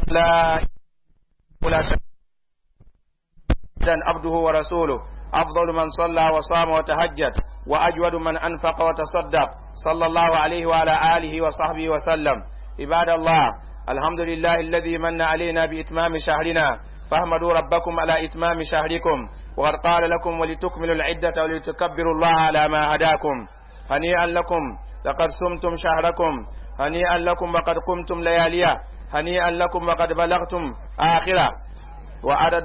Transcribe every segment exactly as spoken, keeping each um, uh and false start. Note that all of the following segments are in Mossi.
لا ولا عبده ورسوله أفضل من صلى وصام وتهجد وأجود من أنفق وتصدق صلى الله عليه وعلى آله وصحبه وسلم. عباد الله، الحمد لله الذي من علينا بإتمام شهرنا، فاحمدوا ربكم على إتمام شهركم، وقد قال لكم ولتكملوا العدة ولتكبروا الله على ما هداكم. هنيئا لكم لقد صمتم شهركم، هنيئا لكم وقد قمتم لياليه، هنيئا لكم وقد بلغتم آخره. وعدد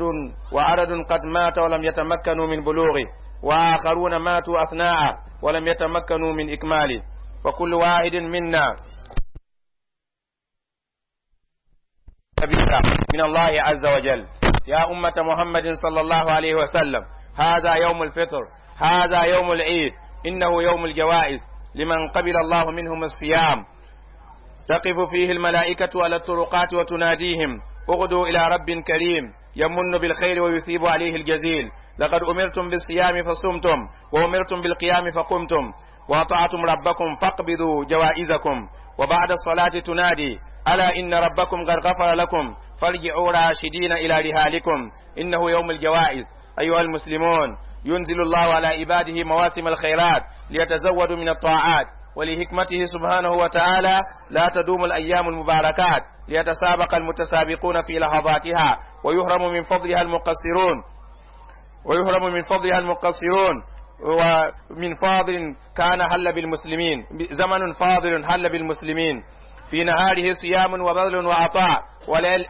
وعدد قد مات ولم يتمكنوا من بلوغه، وآخرون ماتوا أثناءه ولم يتمكنوا من إكماله. وكل واحد منا كبيرة من الله عز وجل. يا أمة محمد صلى الله عليه وسلم، هذا يوم الفطر، هذا يوم العيد، إنه يوم الجوائز لمن قبل الله منهم الصيام. تقف فيه الملائكة على الطرقات وتناديهم: اغدوا إلى رب كريم يمن بالخير ويثيب عليه الجزيل. لقد أمرتم بالصيام فصمتم، وأمرتم بالقيام فقمتم، وأطعتم ربكم فاقبضوا جوائزكم. وبعد الصلاة تنادي: ألا إن ربكم قد غفر لكم، فارجعوا راشدين إلى رهالكم. إنه يوم الجوائز. أيها المسلمون، ينزل الله على عباده مواسم الخيرات ليتزودوا من الطاعات، ولحكمته سبحانه وتعالى لا تدوم الأيام المباركات ليتسابق المتسابقون في لحظاتها، ويهرم من فضلها المقصرون ويهرم من فضلها المقصرون. ومن فاضل كان حل بالمسلمين، زمن فاضل حل بالمسلمين، في نهاره صيام وبذل وعطاء،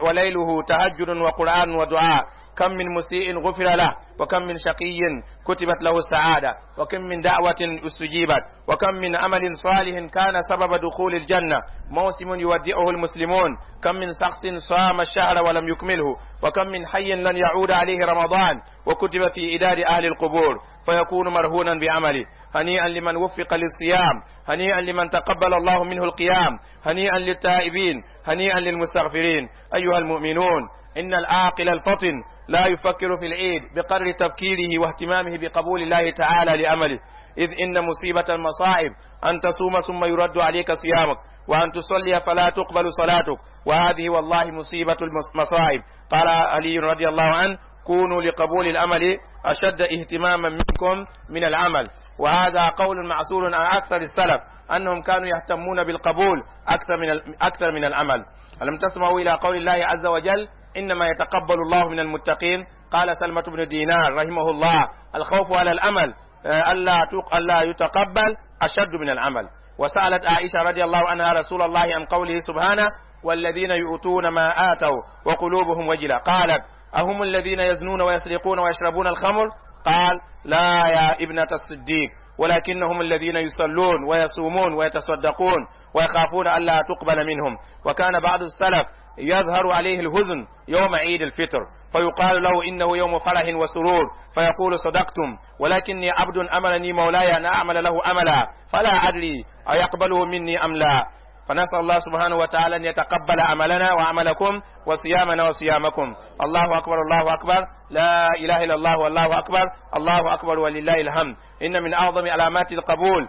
وليله تهجد وقرآن ودعاء. كم من مسيء غفر له، وكم من شقي كتبت له السعادة، وكم من دعوة استجيبت، وكم من عمل صالح كان سبب دخول الجنة. موسم يودعه المسلمون، كم من شخص صام الشهر ولم يكمله، وكم من حي لن يعود عليه رمضان وكتب في إدار أهل القبور فيكون مرهونا بعمله. هنيئا لمن وفق للصيام، هنيئا لمن تقبل الله منه القيام، هنيئا للتائبين، هنيئا للمستغفرين. أيها المؤمنون، إن العاقل الفطن لا يفكر في العيد بقدر تفكيره واهتمامه بقبول الله تعالى لأمله، إذ إن مصيبة المصائب أن تصوم ثم يرد عليك صيامك، وأن تصلي فلا تقبل صلاتك، وهذه والله مصيبة المصائب. قال علي رضي الله عنه: كونوا لقبول الأمل أشد اهتماما منكم من العمل. وهذا قول معصور عن أكثر السلف، أنهم كانوا يهتمون بالقبول أكثر من أكثر من العمل. ألم تسمعوا إلى قول الله عز وجل: إنما يتقبل الله من المتقين؟ قال سلمة بن دينار رحمه الله: الخوف على الأمل ألا ألا يتقبل أشد من العمل. وسألت عائشة رضي الله عنها رسول الله عن قوله سبحانه: والذين يؤتون ما آتوا وقلوبهم وجلة. قالت: أهم الذين يزنون ويسرقون ويشربون الخمر؟ قال: لا يا ابنة الصديق، ولكنهم الذين يصلون ويصومون ويتصدقون ويخافون ألا تقبل منهم. وكان بعض السلف يظهر عليه الهزن يوم عيد الفطر، فيقال له إنه يوم فرح وسرور، فيقول: صدقتم، ولكني عبد أمرني مولاي أن أعمل له أملا، فلا أدري أيقبله مني أم لا. فنسأل الله سبحانه وتعالى أن يتقبل عملنا وعملكم وصيامنا وصيامكم. الله أكبر، الله أكبر، لا إله إلا الله والله أكبر، الله أكبر ولله الحمد. إن من أعظم علامات القبول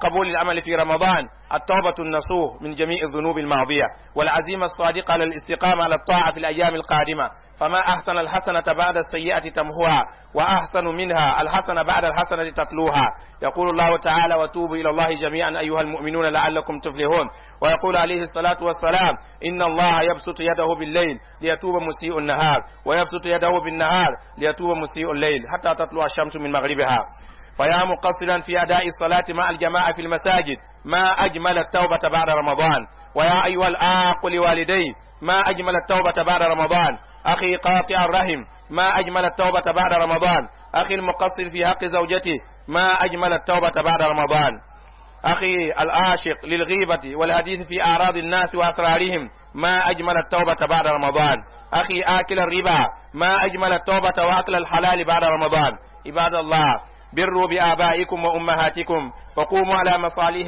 قبول العمل في رمضان التوبة النصوح من جميع الذنوب الماضية، والعزيمة الصادقة على الاستقامة على الطاعة في الأيام القادمة. فما أحسن الحسنة بعد السيئة تمحوها، وأحسن منها الحسنة بعد الحسنة تتلوها. يقول الله تعالى: وتوبوا إلى الله جميعا أيها المؤمنون لعلكم تفلحون. ويقول عليه الصلاة والسلام: إن الله يبسط يده بالليل ليتوب مسيء النهار، ويبسط يده بالنهار ليتوب مسيء الليل، حتى تطلع الشمس من مغربها. فيا مقصرا في أداء الصلاة مع الجماعة في المساجد، ما أجمل التوبة بعد رمضان. ويا أيها الآق لوالدي، ما أجمل التوبة بعد رمضان. أخي قاطع الرحم، ما أجمل التوبة بعد رمضان. أخي المقصر في حق زوجته، ما أجمل التوبة بعد رمضان. أخي العاشق للغيبة والحديث في أعراض الناس وأسرارهم، ما أجمل التوبة بعد رمضان. أخي آكل الربا، ما أجمل التوبة وأكل الحلال بعد رمضان. عباد الله، بروا بآبائكم وأمهاتكم، وقوموا على مصالح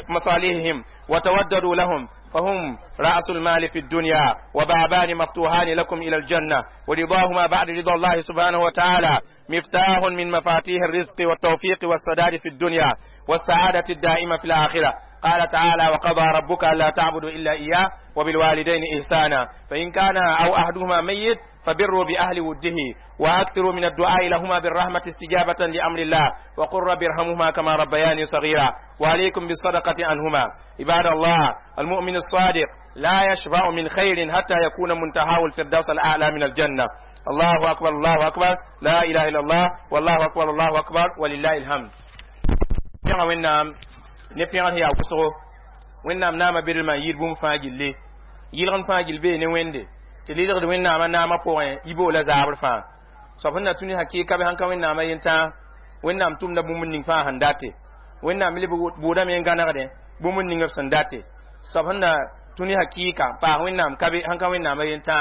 مصالحهم وتوددوا لهم، فهم رأس المال في الدنيا، وبابان مفتوحان لكم إلى الجنة، ورضاهما بعد رضا الله سبحانه وتعالى مفتاح من مفاتيح الرزق والتوفيق والسداد في الدنيا والسعادة الدائمة في الآخرة. قال تعالى وقضى ربك ألا تعبدوا إلا إياه وبالوالدين إحسانا فإن كان أو أحدهما ميت فبروا بأهل وده وأكثروا من الدعاء لهما بالرحمة استجابة لأمر الله وقل رب ارحمهما كما ربياني صغيرا وعليكم بالصدقة عنهما. عباد الله، المؤمن الصادق لا يشبع من خير حتى يكون منتهاه الفردوس الأعلى من الجنة. الله أكبر الله أكبر لا إله إلا الله والله أكبر الله أكبر ولله الحمد. Pẽga Wẽnnaam ne pẽgr yaa wʋsgo. Wẽnnaam naama bedlmã yɩɩd bũmb fãa gilli, yɩlgem fãa gill bee ne Wẽnde tɩ lɩlgd Wẽnnaamã naamã pʋgẽ yiboolã zaabr fãa. Soab sẽn na tũ ne hakɩɩka bɩ sãn ka Wẽnnaamã yentã, Wẽnnaam tʋmda bũmb ning fãa sẽn date, Wẽnnaam leb bʋʋdame n gãnegdẽ bũmb ning b sẽn date. Soab sẽn na tũ ne hakɩɩka n paas Wẽnnaam ka be sãn ka Wẽnnaamã yentã,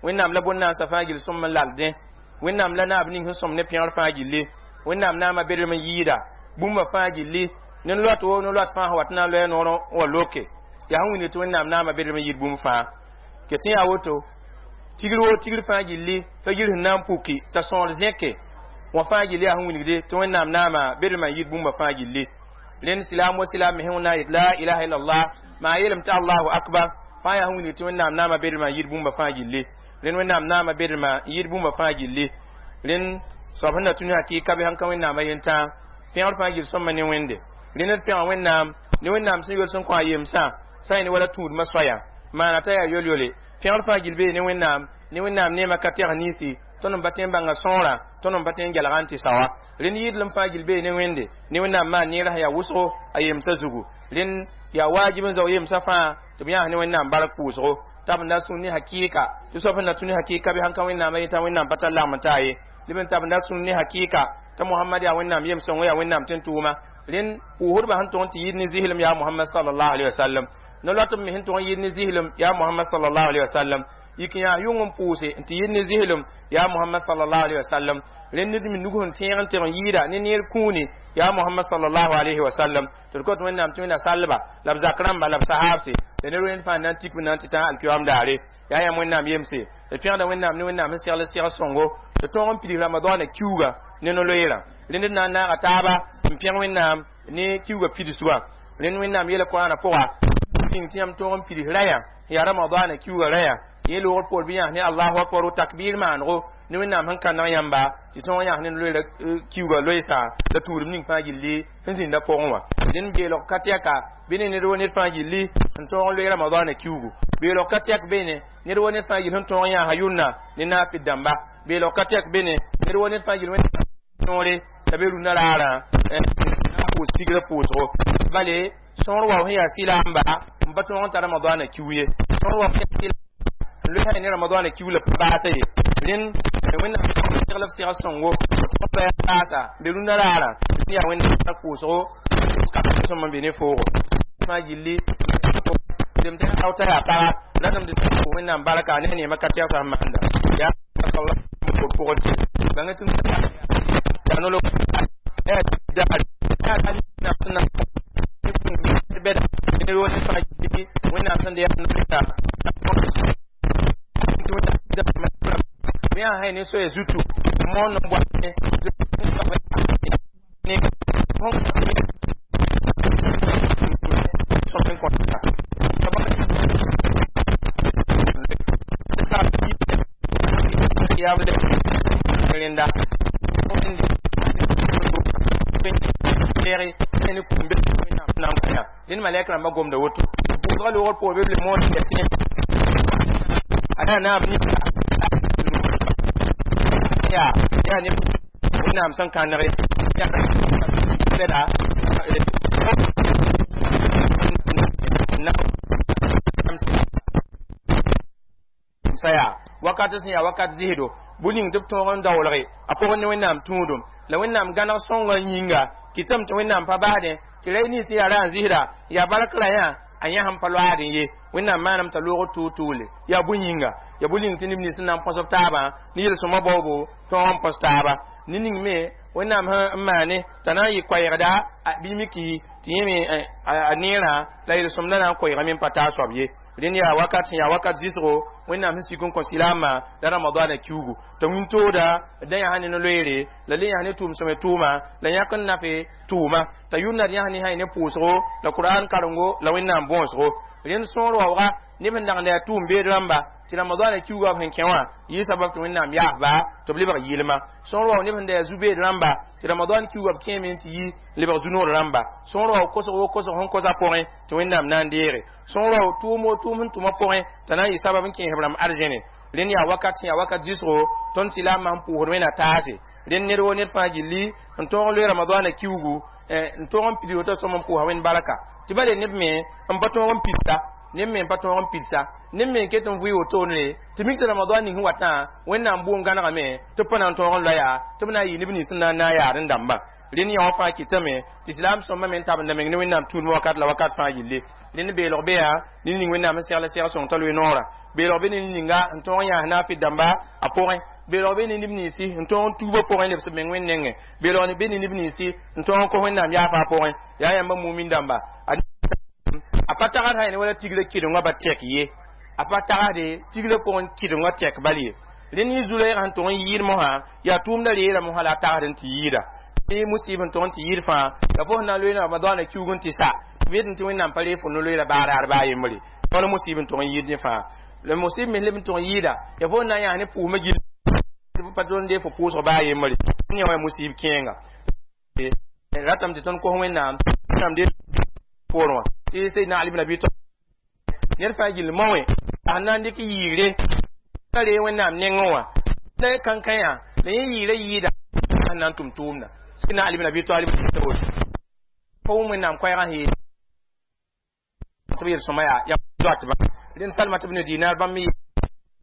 Wẽnnaam la bõn-naasã fãa gill sõm n laldẽ, Wẽnnaam la naab ning sẽn sõm ne pẽgr fãa gilli. Wẽnnaam naamã bedlem n yɩɩda bũmba fãa gilli ne loat wo ne loat fãa sẽn wat na n loa noor wa loke yaa sẽn wilg tɩ Wẽnnaam naamã bedlem n yɩɩd bũmb fãa. Ket tɩ yaa woto tigr wo tigr fãa gilli fa-gir sẽn na n puki t'a sõor zẽke wã fãa gilli yaa sẽn wilgde tɩ Wẽnnaam naamã bedlmã n yɩɩd bũmba fãa gilli. Rẽnd silaam wa silaam me sẽn na yet la ilaha illallah maa yeelame tɩ allahu akbar fãa yaa sẽn wilg tɩ Wẽnnaam naamã bedlmã n yɩɩd bũmba fãa gilli. Rẽnd Wẽnnaam naamã bedlmã n yɩɩd bũmba fãa gilli. Rẽnd soab sẽn na tũ ne hakɩɩka bɩ sãn ka Wẽnnaamã yentã, pẽgr fãa gill sõma ne Wẽnde. Rẽnd d pẽga Wẽnnaam ne Wẽnnaam sẽn yol sẽn kõ a yemsã sã yẽ ne wala tũudmã soaya maana t'a yaa yol-yole. Pẽgr fãa gill bee ne Wẽnnaam ne Wẽnnaam neemã ka tɛg ninsi tõnd n pa tõe n bãnga sõorã, tõnd n pa tõe n gelga n tɩ saoa. Rẽnd yɩɩdlem fãa gill bee ne Wẽnde ne Wẽnnaam maan neerã sẽn yaa wʋsgo a yemsã zugu. Rẽnd yaa waajib n zao yemsã fãa tɩ b yãas ne Wẽnnaam bark pʋʋsgo t'a b na sũn ne hakɩɩka tɩ soab sẽn na tũ ne hakɩɩka bɩ sãn ka Wẽnnaamã yetã, Wẽnnaam pa tar lagm n taa ye. Leb n tab n na sũn ne hakɩɩka t'a Mohamad yaa Wẽnnaam yem sõngo, yaa Wẽnnaam tɩ n tʋʋma. Rẽnd pʋʋsdbã sẽn tʋg n tɩ yɩɩd ne zɩslem yaa Mohamad sallallahu alaihi wasallam, no-loatb me sẽn tʋg n yɩɩd ne zɩslem yaa Mohamad sallallahu alaihi wasallam, yik n yaa yʋng n pʋʋse n tɩ yɩɩd ne zɩslem yaa Mohamad sallallahu alaihi wasallam. Rẽnd ned me nug sẽn tẽeg n tɩg n yɩɩda ne neer kũuni yaa Mohamad sallallahu alaihi wasallam. Tɩ d kot Wẽnnaam tɩ Wẽnna salba la b zak rãmba la b sahaabse la ned wẽnd fãa na n tik b na n tɩ tã alkiyoam daare. Yaa yãmb Wẽnnaam yemse, d pẽgda Wẽnnaam ne Wẽnnaam sẽn segl seg sõngo tɩ tõog n pids Ramadaana kiuga ne no-loeerã. Rẽnd d na n naaga taaba n pẽg Wẽnnaam ne kiuga pidsgã. Rẽnd Wẽnnaam yeela Koraanã pʋga ning tɩ yãmb tõog n pids rayã yaa Ramadaana kiuga rayã yẽ loogr poor bɩ yãs ne allahu akbar takbir maanego ne Wẽnnaam sẽn kãneg yãmba tɩ tõog yãs ne loeera kiuga loeesa la tuudem ning fãa gilli sẽn zĩnda pʋgẽ wã. Rẽnd beelg ka tɛka bɩ ne ned wo ned fãa gilli sẽn tõog n loe Ramadaana kiugu. Beelg ka tɛk bene ned wo ned fãa gill sẽn tõog n yãasa yʋnna ne naafɩd dãmba. Beelg ka tɛk bene ned wo ned fãa gill Wẽnnaam noore t'a be rũnã raarã n pʋʋs tigrã pʋʋsgo bale sõor wa sẽn yaa sɩlaamba n pa tõog n tar Ramadaana kiu ye. Sõor wa sẽn yaa sɩlaamba n loe ne Ramadaana kiu la pa baasa ye. Rẽnd Wẽnnaam segl b sega sõngo pa baasa be rũnã raarã yaa Wẽnnaam pʋʋsgo ka sõm n be ne foogo fãa gilli dem tɩ rao t'a yaa paga ratame tɩ Wẽnnaam barka ne neemã ka tɛgsa sẽn maanda yaa pʋgd tɩ bãng tɩ yaa nolo daar bɛda ned wo ned fãa gilli Wẽnnaam sẽn de yaa noleta yaa sã ne soaya zutu moon n boat ne rẽnda dẽnd malɛk rãmbã gomda woto pʋʋsgã loogr poor bɩ b le moon tɩ a yaa naab yaa yaa ne Wẽnnaam sẽn kãnege bɛda sa yaa wakat sẽn yaa wakat zɩsdo bũ ning tɩ b tõog n daoolge a pʋgẽ ne Wẽnnaam tũudum la Wẽnnaam gãneg sõngã yĩnga kɩtame tɩ Wẽnnaam pa basdẽ tɩ ra nins yaa ra n zɩsda yaa bark ra yã a yã sẽn pa loaadẽ ye. Wẽnnaam maaname t'a loogr tʋʋg-tʋʋle yaa bũ yĩnga yaa bũ ning tɩ neb nins sẽn na n põsb taabã ne yel-sõma baoobo tõog n põs taaba ne ning me Wẽnnaam sẽn maane t'a na n yɩ koɛɛgda bɩ miki Tɩ yẽ me a neerã la yel-sõmdã na n koɛɛgame n pa taa soab ye. Rẽnd yaa wakat sẽn yaa wakat zɩsgo Wẽnnaam sẽn sik n kõ silaamã la Ramadaana kiugu t'a wĩntooda da yãs ne no-loeere la le yãs ne tʋʋm sõme tʋʋma la yãk n nafe tʋʋma t'a yʋnda d yãs ne sã ne pʋʋsgo la Kur'an karengo la Wẽnnaam bõosgo. Rẽnd sõor waooga neb sẽn dagda yaa tʋʋm beed rãmba tɩ Ramadaana kiuga b sẽn kẽ wã yɩ sabab tɩ Wẽnnaam yaasba tɩ b lebg yɩlma. Sõor wao neb sẽn da yaa zu-beed rãmba tɩ Ramadan kiuga b kẽeme tɩ yi lebg zu-noor rãmba. Sõor wao kosg wo kosg sẽn kosa pʋgẽ tɩ Wẽnnaam na n deege. Sõor wao tʋʋm wo tʋʋm sẽn tʋma pʋgẽ t'a na n yɩ sabab n kẽes b rãmb arzẽne. Rẽnd yaa wakat sẽn yaa wakat zɩsgo tõnd silaamã sẽn pʋʋsd Wẽnna taase. Rẽnd ned wo ned fãa gilli n tõog n loe Ramadaana kiugu n tõog n pid woto sõm n pʋʋsa Wẽnd barka tɩ bale neb me n pa tõog n pidsa, neb me n pa tõog n pidsa, neb me n ket n vʋɩ wotone tɩ mik tɩ Ramadan ning sẽn watã Wẽnnaam bʋʋm gãnegame tɩ b pa na n tõog n loya tɩ b na n yɩ neb nins sẽn na n naag yaad n dãmbã. Rẽnd yã wã fãa kɩtame tɩ silaam sõmba me n tabenda meng ne Wẽnnaam tũudmã wakat la wakat fãa gilli. Rẽnd beelg be yaa ne ning Wẽnnaam sẽn segl seg sõng t'a loe noorã. Beelg be ne ninga n tõog n yãas naafɩ dãmba a pʋgẽ. Beelg be ne neb ninsi n tõog n tuubã pʋgẽ lebs b meng Wẽnd nengẽ. Beelg be ne neb ninsi n tõog n kos Wẽnnaam yaafa a pʋgẽ. Yaa yãmba mumin dãmba, a pa tagsd sã ne wala tigrã kɩdengã ba tɛk ye, a pa tagsde tigrã pʋgẽ kɩdengã tɛk bal ye. Rẽnd yẽ zu-loɛɛgã sẽn tʋg n yɩɩd mosã yaa tʋʋmdã reera mosã la a tagsd n tɩ yɩɩda tɩ musib n tʋg n tɩ yɩɩd fãa la fo sẽn na n loe Ramadaana kiuug n tɩ sa b yetẽ tɩ Wẽnnaam pa reeg fo no-loeera baa raar baa yembre wala musib n tʋg n yɩɩd ne fãa la musib me leb n tʋg n yɩɩda ya fo sẽn na n yãas ne pʋʋsmã gill tɩ b pa tõnd dee fo pʋʋsg baa yembre yẽ wã musib kẽenga ratame tɩ tõnd kos Wẽnnaam Wẽnnaam dee poorẽ wã tɩ Seydna Ali ibn Abi Talib ned fãa gill mao wẽ a sẽn na n dɩk yɩɩre ka ree Wẽnnaam nengẽ wã la kãnkã yã la yẽ yɩɩra yɩɩda sẽn na n tʋm tʋʋmda. Seydna Ali ibn Abi Talib pa wʋm Wẽnnaam koɛɛgã sẽn yeel tɩ b yel-sõma yaa yaa doatba. Rẽnd Salmat ibn Dinar bãmb me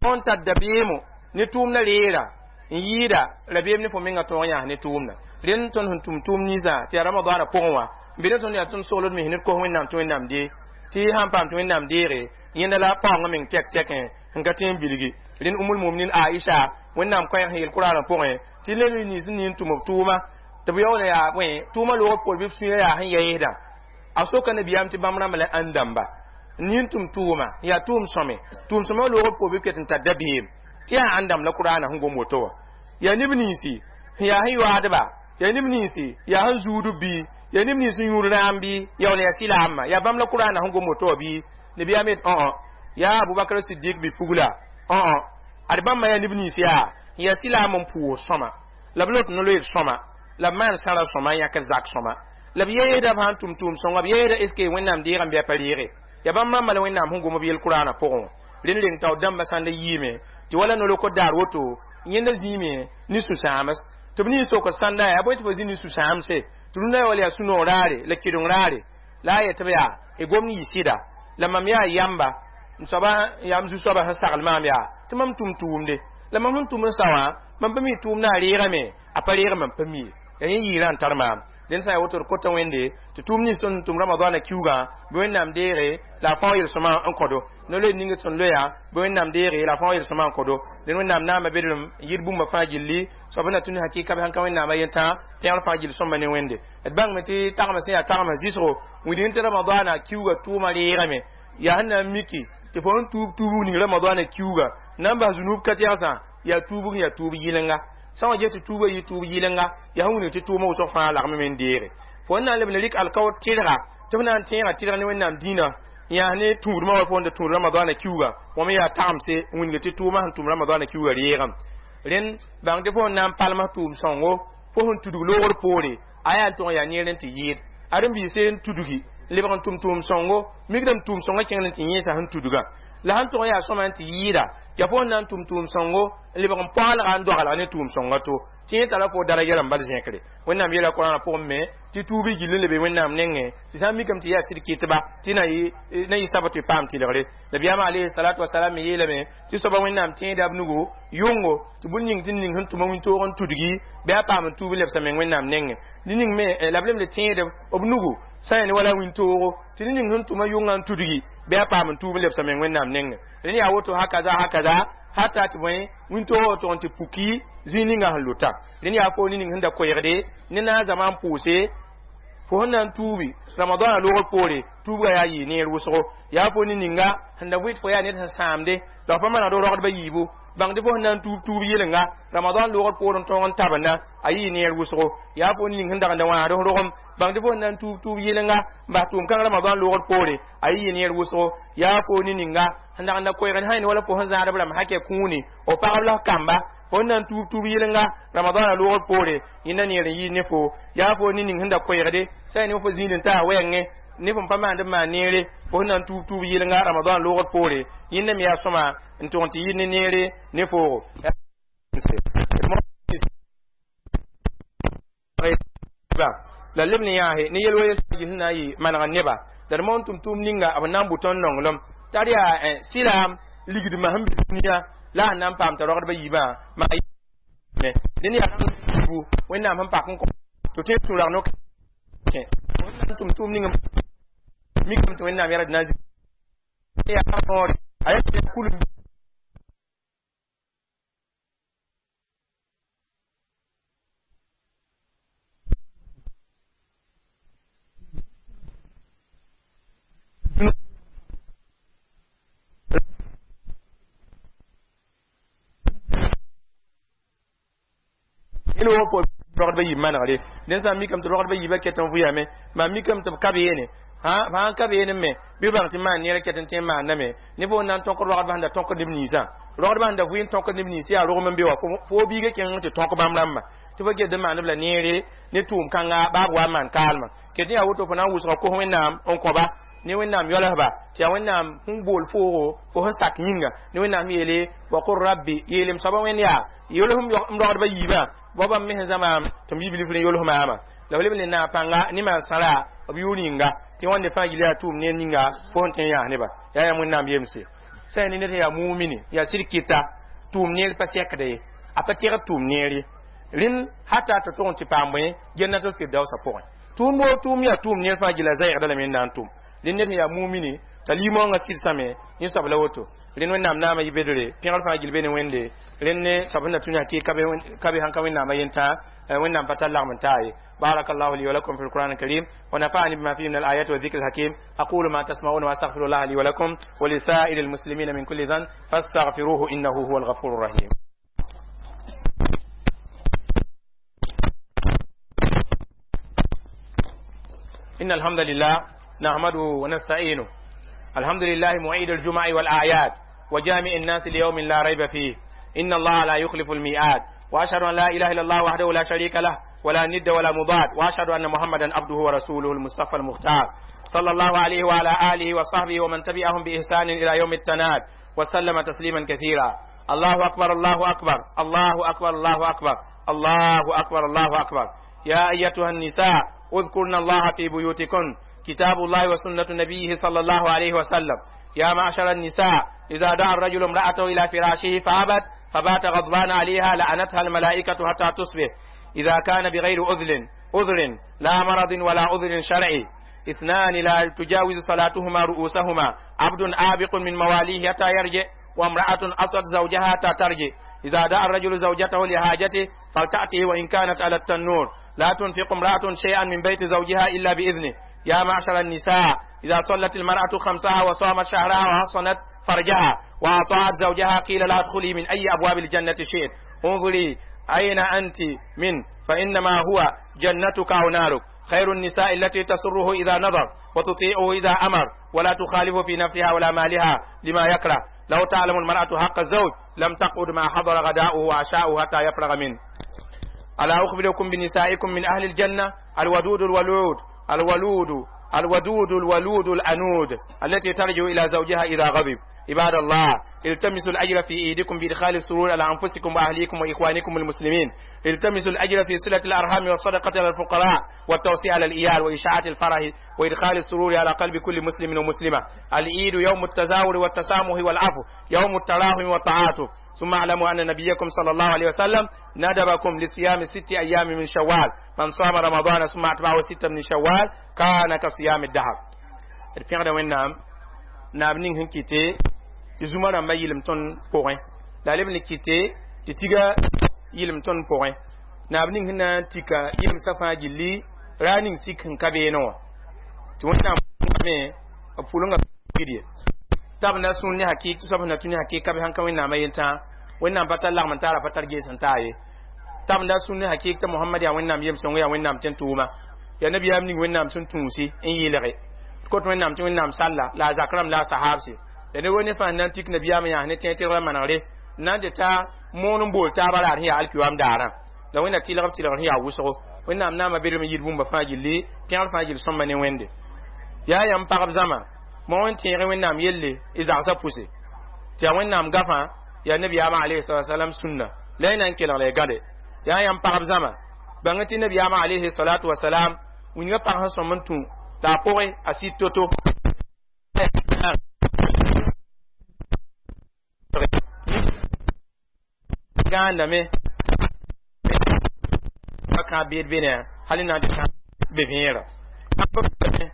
tõnd tar dabeemo ne tʋʋmdã reera n yɩɩda rabeem ne fo menga tõog n yãas ne tʋʋmda. Rẽnd tõnd sẽn tʋm tʋʋm ninsã tɩ yaa Ramadaana pʋgẽ wã n be ne tõnd yaa tõnd sogld me ned kos Wẽnnaam tɩ Wẽnnaam dee tɩ sãn paam tɩ Wẽnnaam deege yẽnda la paoongã meng tɛk tɛkẽ sẽn ka tõe n bilgi. Rẽnd Umul Muminin Aisha Wẽnnaam koɛɛg sẽn yel Kuraanã pʋgẽ tɩ neb nins n nin tʋm b tʋʋma tɩ b yaool yaa bõe tʋʋmã loog poor bɩ b sũyã yaa sẽn yɛɛsdã a soka nabiyaam tɩ bãmb rãmba la ãn dãmba nin tʋm tʋʋma yaa tʋʋm sõme tʋʋm sõma loog poor bɩ ket n tar dabeem tɩ yaa ãn dãmb la Kuraanã sẽn gom woto wã yaa neb ninsi sẽn yaa sẽn yoaadba yaa neb ninsi yaa sẽn zuudb bɩ yaa neb nins sẽn yũud rãam bɩ yaool yaa silaamã yaa bãmb la Kuraanã sẽn gom woto wã bɩ nabiyaam yet õ yaa Abubakar Sidik bɩ pugla õ ad bãmba yaa neb nins yaa yaa silaam n pʋʋs sõma la b lot no-loeer sõma la b maan sãra sõma n yãkd zak sõma la b yeesda b sãn tʋm tʋʋm sõnga b yeesda est ce que Wẽnnaam deegame bɩ a pa reege yaa bãmb rãmba la Wẽnnaam sẽn gom b yel Kuraanã pʋgẽ wã. Rẽnd reng tao dãmbã sãn da yiime tɩ wala no-lokd daar woto yẽnda zĩime ne sũ-sãams tɩ b nin sokd sãnda yaa bõe tɩ fo zĩ ne sũ-sãamse tɩ rũndã wala yaa sũ-noog raare la kɩdeng raare la a yetɩ b yaa y gomd yɩ sɩda la mam yaa yamba n soaba yaa m zu-soabã sẽn sagl maam yaa tɩ mam tʋm tʋʋmde la mam sẽn tʋm n sa wã mam pa mi tʋʋmdã a reegame a pa reeg mam pa mi yaa yẽ yɩɩrã n tar maam. Rẽnd sã n yaa woto d kota Wẽnde tɩ tʋʋm nins tõnd tʋm Ramadaana kiugã bɩ Wẽnnaam deege la a fao yel-sõma n kõdo no-loeer ning sẽn loeya bɩ Wẽnnaam deege la a fao yel-sõma n kõdo. Rẽnd Wẽnnaam naama bedrem n yɩɩd bũmba fãa gilli soab na tũ ne hakɩka bɩ sãn ka Wẽnnaamã yentã pẽgr fãa gill sõmba ne Wẽnde d bãngme tɩ tagmã sẽn yaa tagmã zɩsgo wilg tɩ Ramadaana kiuga tʋʋmã reegame yaa sẽn na n miki tɩ fo n tuub tuubg ning Ramadaana kiuga na n bas zunub ka tɛgsã yaa tuubg yaa tuub yɩlenga sã n wa ges tɩ tuubã yɩ tuub yɩlenga yaa sẽn wilg tɩ tʋʋmã wʋsg fãa lagme me n deege fo n na n leb n rɩk alkaoor tɩrga tɩ f na n tẽega tɩrg ne Wẽnnaam dĩinã yãas ne tũudmã wa fo n da tũud Ramadaana kiuga wã me yaa tagemse n wilg tɩ tʋʋmã sẽn tʋm Ramadaana kiuga reegame. Rẽnd bãng tɩ fo n na n palms tʋʋm sõngo fo sẽn tudg loogr poore a yaa n tʋg n yaa neer n tɩ yɩɩd aren-biise n tudgi lebg n tʋm tʋʋm sõngo mikdame tʋʋm sõngã kẽngd n tɩ yẽesa sẽn tudgã la sẽn tʋg n yaa sõma n tɩ yɩɩda yaa fo n na n tʋm tʋʋm sõngo n lebg n paoalga n doaglg ne tʋʋm sõnga to tɩ yẽ tara fo daraja rãmb bal zẽkre. Wẽnnaam yeela Kuraanã pʋgẽ me tɩ tuub y gill n lebe Wẽnnaam nengẽ tɩ sã n mikame tɩ yaa sɩd kɩtba tɩ na yɩ sab tɩ paam tɩlgre. Nabiyaamã alayhi salatu wasalam me yeelame tɩ soaba Wẽnnaam tẽeda b nugu yʋngo tɩ bũn ning tɩ ning sẽn tʋma wĩntoog n tudgi bɩ a paam n tuub n lebsa meng Wẽnnaam nengẽ ned ning me la b lemd tẽed b nugu sã n yaa ne wala wĩntoogo tɩ ned ning sẽn tʋma yʋngã n tudgi bɩ a paam n tuub n lebsa meng Wẽnnaam nengẽ. Rẽnd yaa woto hakaza hakaza hata tɩ bõe wĩntoogã tʋg n tɩ puki zĩig ninga sẽn lota. Rẽnd yaa fo ne ning sẽn da koɛɛgde ne na n zama n pʋʋse Fo sẽn na n tuubi ramadãna loogr poore tuubga yaa yɩ neer wʋsgo yaa fo ne ninga sẽn da vɩt fo yaa ned sẽn sãamde la f pa manegd rogdbã yiibu bãngdɩ fo sẽn na n tuub tuub yɩlenga ramadan loogr poor n tõog n tabenda a yɩ neer wʋsgo yaa fo ning sẽn dag n da wãasd f rogem bãngdɩ fo sẽn na n tuub tuub yɩlenga n bas tʋʋm kãng ramadan loogr poore a yɩ neer wʋsgo yaa fo ne ninga sẽn dag n da koɛɛgd sã wala fo sẽn zãadb rãmb hakɛ kũuni f pagb la f kamba fo sẽn na n tuub tuub yɩlenga ramadãna loogr poore yẽnda neer n yɩɩd ne fo yaa fo ne ning sẽn da koɛɛgde sã ne fo zĩig n taa wɛɛngẽ ne fõn pa maand n maan neere fo sẽn na n tuub tuub yɩlenga ramadan loogr poore yẽnda me yaa sõma n tʋg n tɩ yɩ ne neere ne foogo la leb ne yãase ne yel wa yel sẽn na n yɩ maneg neba la d moon tʋm-tʋʋm ninga b na n bʋ tõnd nonglem t'a d yaa sɩlaam ligdmã sẽn be dũniyã la a na n paam t'a rogdbã yiibã maa dẽnd yaa wẽnnaam sẽn pak n kõ tɩ tõe n tũ rag no-kẽ n tʋm tʋʋm ning mikame tɩ wẽnnaam yɛrd na n yaa noore a yaa kulum rogdbã yiib manegre dẽn sã n mikame tɩ rogdbã yiibã ket n vʋyame maa mikame tɩ b ka beene fãa ka beene me bɩ bãng tɩ maan neer ket n tõe n maandame ne fo na n tõk rogdbã sẽn da tõkd neb ninsã rogdbã sẽn da vʋɩ n tõkd neb nins yaa rogem n be wã fo biiga kẽng tɩ tõk bãmb rãmbã tɩ fo get n maand b la neere ne tʋʋm kãnga baa b wa n maan kaalmã ket yaa woto fo na n wʋsga kos wẽnnaam n kõba ne wẽnnaam yoalsba tɩ yaa wẽnnaam sẽn bool foogo fo sẽn sak yĩnga ne wẽnnaam yeele wa qul rabbi yeelem soaba wẽnd yaa yols m rogdbã yiibã wa bãmb me sẽn zãmaam tɩ m yiblif ne yols maama la f leb ne naag pãnga ne maan sãra b yʋʋr yĩnga tɩ wãnde fãa gil yaa tʋʋm neer ninga fo sẽn tõe n yãas neba yaa yãmb wẽnnaam yemse sã ne ned sẽn yaa mumini yaa sɩd kɩta tʋʋm neer pa sɛkda ye a pa tẽgd tʋʋm neer ye rẽnd hata tɩ tʋg n tɩ paam bõe jannatul firdausa pʋgẽ tʋʋm woo tʋʋm yaa tʋʋm neer fãa gila zɛɛgda lame n na n tʋm rẽnd ned sẽn yaa mumini t'a limõongã sɩdsame yẽ soab la woto rẽnd wẽnnaam naamã yɩ bedre pẽgr fãa gil be ne wẽnde rẽnd ne soab sẽn da tũ yaa kɩ ka be sãn ka wẽnnaamã yentã wẽnnaam pa tar lagm n taa ye بارك الله لي ولكم في القرآن الكريم ونفعني بما فيه من الآيات والذكر الحكيم أقول ما تسمعون وأستغفر الله لي ولكم ولسائر المسلمين من كل ذنب فاستغفروه إنه هو الغفور الرحيم إن الحمد لله نحمده ونستعينه الحمد لله معيد الجمع والأعياد وجامع الناس ليوم لا ريب فيه إن الله لا يخلف الميعاد وأشهد أن لا إله إلا الله وحده لا شريك له ولا ند ولا مضاد وأشهد أن محمدا عبده ورسوله المصطفى المختار صلى الله عليه وعلى آله وصحبه ومن تبعهم بإحسان إلى يوم التناد وسلم تسليما كثيرا الله أكبر الله أكبر الله أكبر الله أكبر الله أكبر الله أكبر يا أيتها النساء اذكرن الله في بيوتكن كتاب الله وسنة نبيه صلى الله عليه وسلم يا معشر النساء إذا دعا الرجل امرأته إلى فراشه فأبت فبات غضبان عليها لعنتها الملائكة حتى تصبح إذا كان بغير عذر عذر لا مرض ولا عذر شرعي اثنان لا تجاوز صلاتهما رؤوسهما عبد آبق من مواليه حتى يرجع وامرأة أصت زوجها حتى ترجع إذا دعا الرجل زوجته لحاجته فلتأته وإن كانت على التنور لا تنفق امرأة شيئا من بيت زوجها إلا بإذنه يا معشر النساء إذا صلت المرأة خمسها وصامت شهرها وحصنت فرجها وأطاعت زوجها قيل لها ادخلي من أي أبواب الجنة شئت انظري أين أنت من فإنما هو جنتك أو نارك خير النساء التي تسره إذا نظر وتطيعه إذا أمر ولا تخالف في نفسها ولا مالها لما يكره لو تعلم المرأة حق الزوج لم تقعد ما حضر غداؤه وعشاؤه حتى يفرغ منه ألا أخبركم بنسائكم من أهل الجنة الودود الولود الولود الودود الولود الأنود التي ترجع إلى زوجها إذا غضب عباد الله التمسوا الأجر في إيدكم بإدخال السرور على أنفسكم وأهليكم وإخوانكم المسلمين التمسوا الأجر في صلة الأرحام والصدقة على الفقراء والتوسيع على الإيال وإشاعة الفرح وإدخال السرور على قلب كل مسلم ومسلمة العيد يوم التزاور والتسامح والعفو يوم التراحم والتعاطف ثم اعلموا أن نبيكم صلى الله عليه وسلم ندبكم لصيام ست أيام من شوال من صام رمضان ثم أتبعه ستة من شوال كان كصيام الدهر الفعل وين نعم نعم نين كيتي tɩ zũma rãmbã yɩlem tõnd pʋgẽ la a leb ne kɩte tɩ tiga yɩlem tõnd pʋgẽ naab ning sẽn na n tika yɩlemsã fãa gilli Ra ning sik n ka beene wã tɩ Wẽnnaam me b pʋlengã gidye t'a b na sũur ne hakɩk tɩ soab sẽn na tũ ne hakɩk be sãn ka Wẽnnaamã yentã Wẽnnaam pa tar lagm n taara pa tar gees n taa ye t'a b na sũur ne hakɩk tɩ Mohamad yaa Wẽnnaam yem-sõng yaa Wẽnnaam tẽn-tʋʋma yaa nabiyaam ning Wẽnnaam sẽn tũusi n yɩlge kot Wẽnnaam tɩ Wẽnnaam salla la a zak rãmb la a sahaabse la ne wo ne fãa n na n tik nabiyaamã yãas ne tẽeg tɩrgrã manegre n na n tɩ ta moon n bool taabã raar sẽn yaa alkiwaam daarã la Wẽnna tɩlg b tɩlgr sẽn yaa wʋsgo Wẽnnaam naamã bedrem n yɩɩd bũmba fãa gilli pẽgr fãa gill sõmba ne Wẽnde yaa yãmb pagb zãma mo wẽn tẽeg Wẽnnaam yelle y zagsã pʋse tɩ yaa Wẽnnaam gafã yaa nabiyaamã alayhi salam sũnna la y na n kelg la y gãde yaa yãmb pagb zãma bãng tɩ nabiyaamã alayhi salatu wasalam wĩnga pag sẽn sõm n tũ la a pʋgẽ a sɩd to-to gãandame pa kãab beed be ne hal n na n tɩ be vẽera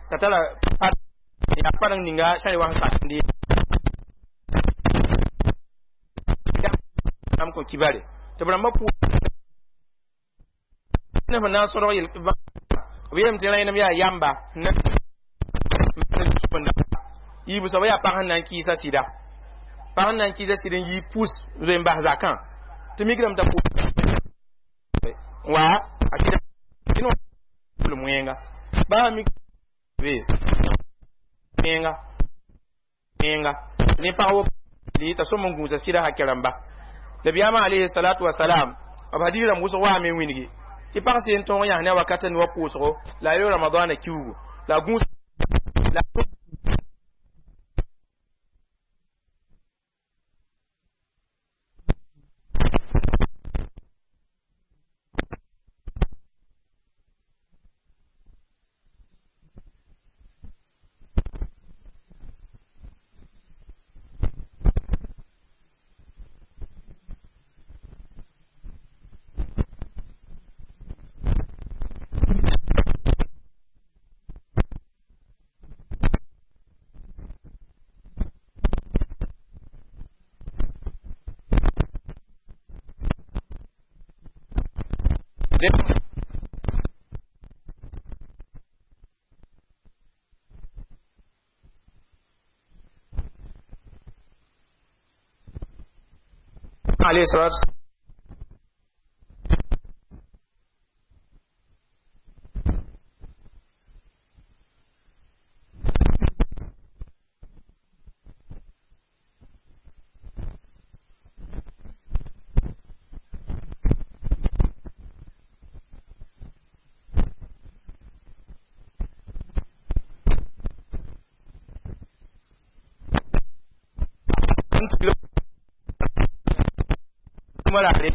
t'a tara yaa pareng ninga sã y wa sẽn sakende am kõ kibare tɩ b rãmbã pʋʋ ne sẽn na n sõdg yel b yeelame tɩ rẽnem yaa yamba yiibu soaba yaa pag sẽn na n kɩɩsa sɩda pag sẽn na n kɩɩsa sɩd n yii pus zoe n bas zakã tɩ mikrame t'a wa a sɩda wẽnga baa mik be wẽnga wẽnga ne pag wo t'a sõm n gũusa sɩda hakɛ rãmba nabiyaamã alayhi salatu wasalam b hadiis rãmb wʋsg waame n wĩngi tɩ pag seen tõog yãs ne a wakata nuwã pʋʋsgo la a yo ramadaana kiugu la a gũus la alayhi salatu wurare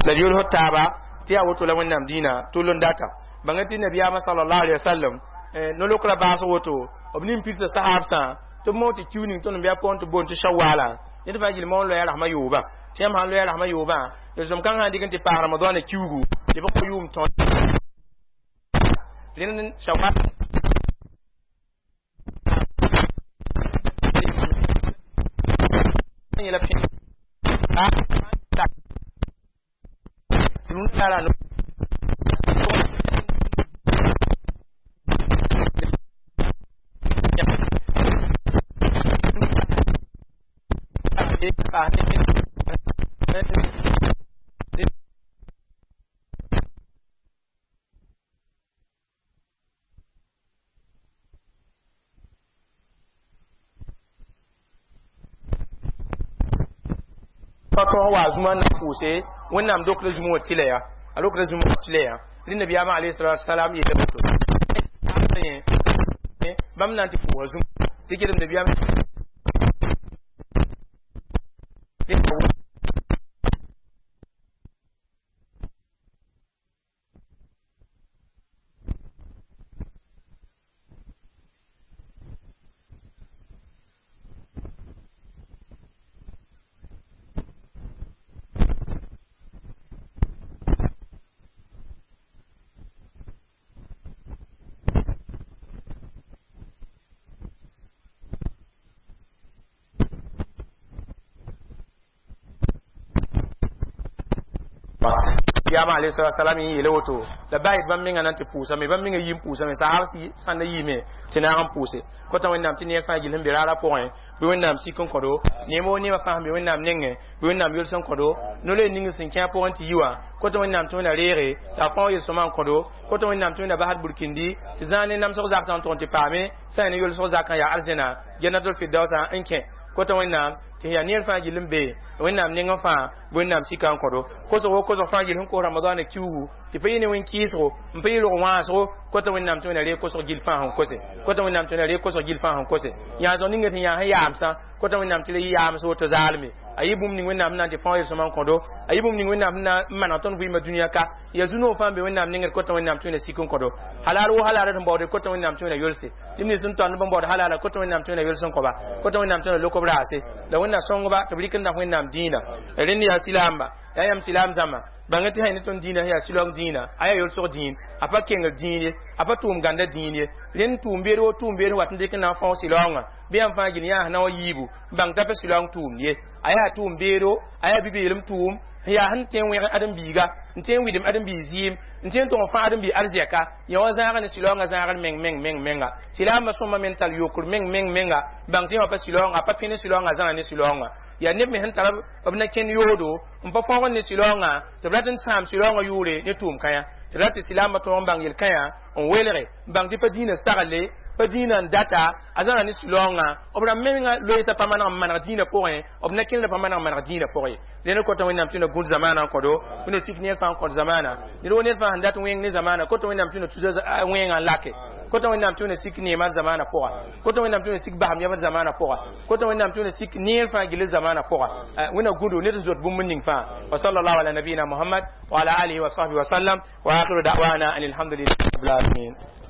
la yʋls taaba tɩ yaa woto la Wẽnnaam dĩinã tʋl n data bãnga tɩ nabiyaamã sallallahu alaihi wasallam no-lokra baas woto b nin pidsã sahaabsã tɩ b moon tɩ kiu ning tõnd n bɩ a pʋgẽ tɩ boond tɩ shawala ned fãa gill moon loya rasmã yoobã tɩ yãmb sãn loya rasmã yoobã yel-sõm kãng sã n dɩk n tɩ paas ramadaana kiugu tɩ b kõ yʋʋm tõnd rẽnd shawal yẽla tara pa tõog wa zũma na pʋʋse Wẽnnaam dokra zũma wã tɩla ya a dokra zũma wã tɩla ya rẽ nabiyaamã alayhi salatu wasalam yeela woto bãmb na n tɩ pʋʋsa zũm tɩ kelem nabiyaam Yama alayhi salatu wasalam yi yele woto la bayi bãmb menga na n tɩ pʋʋsame bãmb menga yɩ n pʋʋsame sahab sãn da yiime tɩ naag n pʋʋse kota Wẽnnaam tɩ neer fãa gill sẽn be raarã pʋgẽ bɩ Wẽnnaam sik n kõ-do neem woo neemã fãa sẽn be Wẽnnaam nengẽ bɩ Wẽnnaam yols n kõ-do no-loe ning sẽn kẽ a pʋgẽ tɩ yi wã kota Wẽnnaam tɩ Wẽnna reege la a fãa yel-sõma n kõ-do kota Wẽnnaam tɩ Wẽnna basd burkindi tɩ zãag ne namsg zaksã n tʋg n tɩ paame sã n ne yolsg zakã yaa arzẽna Jannatul Firdausa n kẽ kota Wẽnnaam tɩ yaa neer fãa gill n be Wẽnnaam nengẽ fãa bɩ Wẽnnaam sika n kõ-do kosg wo kosg fãa gill sẽn kos Ramadaana kiuugu tɩ pa yɩ ne wẽn-kɩɩsgo n pa yɩ rog wãasgo kota Wẽnnaam tɩ Wẽnna reeg kosg gill fãa sẽn kose kota Wẽnnaam tɩ Wẽnna reeg kosg gill fãa sẽn kose yãasg ninga sẽn yaa sẽn yaamsã kota Wẽnnaam tɩ ra yɩ yaams woto zaalme a yɩ bũmb ning Wẽnnaam na n tɩ fãa yel-sõma n kõ-do a yɩ bũmb ning Wẽnnaam sẽn na n maneg tõnd vɩɩmã dũniyã ka yaa zu-noog fãa n be Wẽnnaam nengd kota Wẽnnaam tɩ Wẽnna sik n kõ-do halal wo halala sẽn baood kota Wẽnnaam tɩ Wẽnna yolse neb nins sẽn tõnd b n baood halala kota Wẽnnaam tɩ Wẽnna yols n kõ-ba kota Wẽnnaam tɩ Wẽnna lok b raase la Wẽnna sõngba tɩ b rɩk n da Wẽnnaam dĩinã rẽnd yaa silaamba yaa yãmb silaam zãmba bãng tɩ sã ne tõnd dĩinã yaa silong dĩinã a yaa yolsg dĩin a pa kengr dĩin ye a pa tʋʋm gãnda dĩin ye rẽnd tʋʋm beed wo tʋʋm beed wat n dɩk n na n fãoog silaoongã bɩ yãmb fãa gil yãas na wã yiibu n bãng t'a pa silaoong tʋʋmd ye a yaa tʋʋm beedo a yaa bi-beelem tʋʋm yaa sẽn tõe n wẽg ãdem-biiga n tõe n wɩdem ãdem-biig zɩɩm n tõe n tʋg n fãag ãdem-biig arzɛka yã wa zãag ne silaoongã zãagr meng meng meng menga silaambã sõma me n tar yokr meng meng menga bãng tɩ yã pa silaoongã a pa pẽ ne silaoongã a zãga ne silaoongã yaa neb me sẽn tar b na kẽnd yoodo n pa fãoog ne silaoongã tɩ b rat n sãam silaoongã yʋʋre ne tʋʋm kãyã tɩ rat tɩ silaambã tõog n bãng yel-kãyã n welge n bãng tɩ pa dĩinã sagle pa dĩinã n data a zãga ne silaoongã b rãmb menga loeesa pa maneg n maneg dĩinã pʋgẽ b na kẽndã pa maneg n maneg dĩinã pʋgẽ ye rẽnd kota Wẽnnaam tɩ na gũud zamaanã n kõ-do Wẽnna sik neer fãa n kõt zamaana ned wo ned fãa sẽn dat wẽng ne zamaana kota Wẽnnaam tɩ na tusa wẽngã n lake kota Wẽnnaam tɩ Wẽnna sik neemã zamaana pʋga kota Wẽnnaam tɩ Wẽnna sik basem yãbd zamaana pʋga kota Wẽnnaam tɩ Wẽnna sik neer fãa gill zamaana pʋga Wẽnna gũdo ned n zot bũmb ning fãa wa sallallahu ala nabiyina Muhammad wa ala alihi wa sahbihi wa sallam wa akhiru da'wana anil hamdulillahi rabbil alamin.